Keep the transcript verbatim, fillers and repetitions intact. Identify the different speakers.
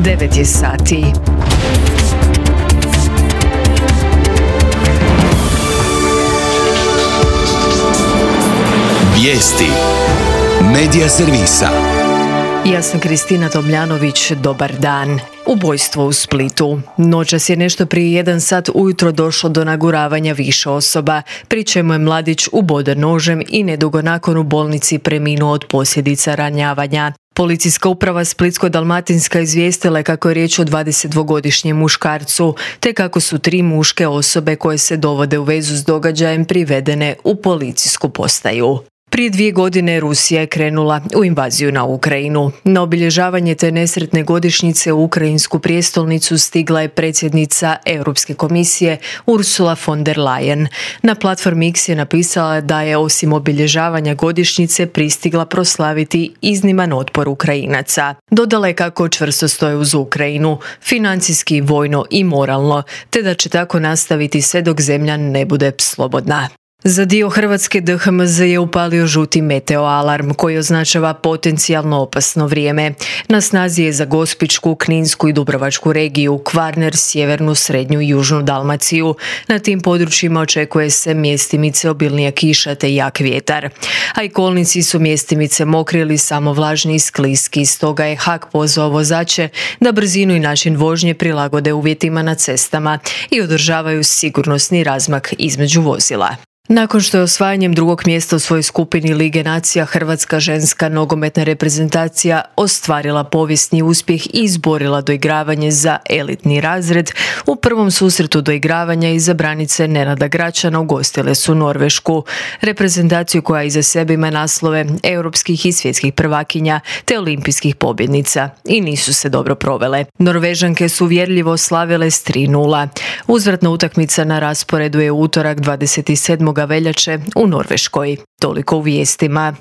Speaker 1: devet je sati.
Speaker 2: Vijesti Medija servisa.
Speaker 1: Ja sam Kristina Tomljanović, dobar dan. Ubojstvo u Splitu. Noćas je nešto prije jedan sat ujutro došlo do naguravanja više osoba, pri čemu je mladić uboden nožem i nedugo nakon u bolnici preminuo od posljedica ranjavanja. Policijska uprava Splitsko-dalmatinska izvijestila je kako je riječ o dvadesetdvogodišnjem muškarcu, te kako su tri muške osobe koje se dovode u vezu s događajem privedene u policijsku postaju. Prije dvije godine Rusija je krenula u invaziju na Ukrajinu. Na obilježavanje te nesretne godišnjice u ukrajinsku prijestolnicu stigla je predsjednica Europske komisije Ursula von der Leyen. Na platformi X je napisala da je osim obilježavanja godišnjice pristigla proslaviti izniman otpor Ukrajinaca. Dodala je kako čvrsto stoje uz Ukrajinu, financijski, vojno i moralno, te da će tako nastaviti sve dok zemlja ne bude slobodna. Za dio Hrvatske D H M Z je upalio žuti meteo alarm koji označava potencijalno opasno vrijeme. Na snazi je za Gospićku, Kninsku i Dubrovačku regiju, Kvarner, sjevernu, srednju i južnu Dalmaciju. Na tim područjima očekuje se mjestimice obilnija kiša te jak vjetar. A i kolnici su mjestimice mokri ili samo vlažni i skliski, stoga je H A K pozvao vozače da brzinu i način vožnje prilagode uvjetima na cestama i održavaju sigurnosni razmak između vozila. Nakon što je osvajanjem drugog mjesta u svojoj skupini Lige nacija Hrvatska ženska nogometna reprezentacija ostvarila povijesni uspjeh i izborila doigravanje za elitni razred, u prvom susretu doigravanja izabranice Nenada Gračana ugostile su Norvešku, reprezentaciju koja iza sebe ima naslove europskih i svjetskih prvakinja te olimpijskih pobjednica i nisu se dobro provele. Norvežanke su uvjerljivo slavile s tri nula. Uzvratna utakmica na rasporedu je utorak dvadeset sedmog veljače u Norveškoj. Toliko u vijestima.